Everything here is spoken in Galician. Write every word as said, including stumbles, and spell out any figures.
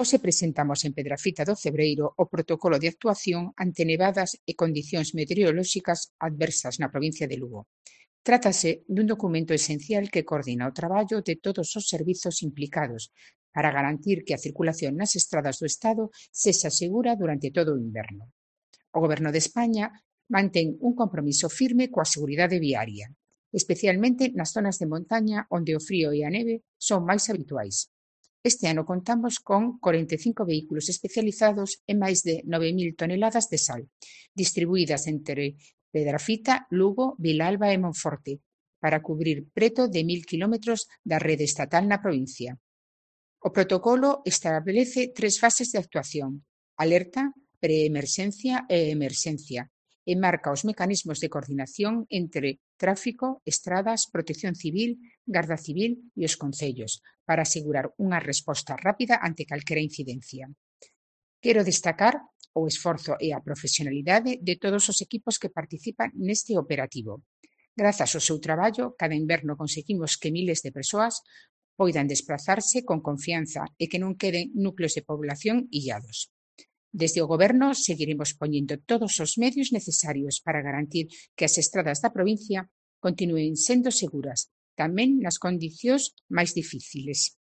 Hoxe presentamos en Pedrafita do Cebreiro o protocolo de actuación ante nevadas e condicións meteorolóxicas adversas na provincia de Lugo. Trátase dun documento esencial que coordina o traballo de todos os servizos implicados para garantir que a circulación nas estradas do Estado sexa segura durante todo o inverno. O Goberno de España mantén un compromiso firme coa seguridade viaria, especialmente nas zonas de montaña onde o frío e a neve son máis habituais. Este ano contamos con corenta e cinco vehículos especializados e máis de nove mil toneladas de sal, distribuídas entre Pedrafita, Lugo, Vilalba e Monforte, para cubrir preto de mil quilómetros da rede estatal na provincia. O protocolo establece tres fases de actuación: alerta, preemerxencia e emerxencia, e marca os mecanismos de coordinación entre tráfico, estradas, protección civil, Garda Civil e os concellos, para asegurar unha resposta rápida ante calquera incidencia. Quero destacar o esforzo e a profesionalidade de todos os equipos que participan neste operativo. Grazas ao seu traballo, cada inverno conseguimos que miles de persoas poidan desplazarse con confianza e que non queden núcleos de población illados. Desde o Goberno seguiremos poñendo todos os medios necesarios para garantir que as estradas da provincia continúen sendo seguras, tamén nas condicións máis difíciles.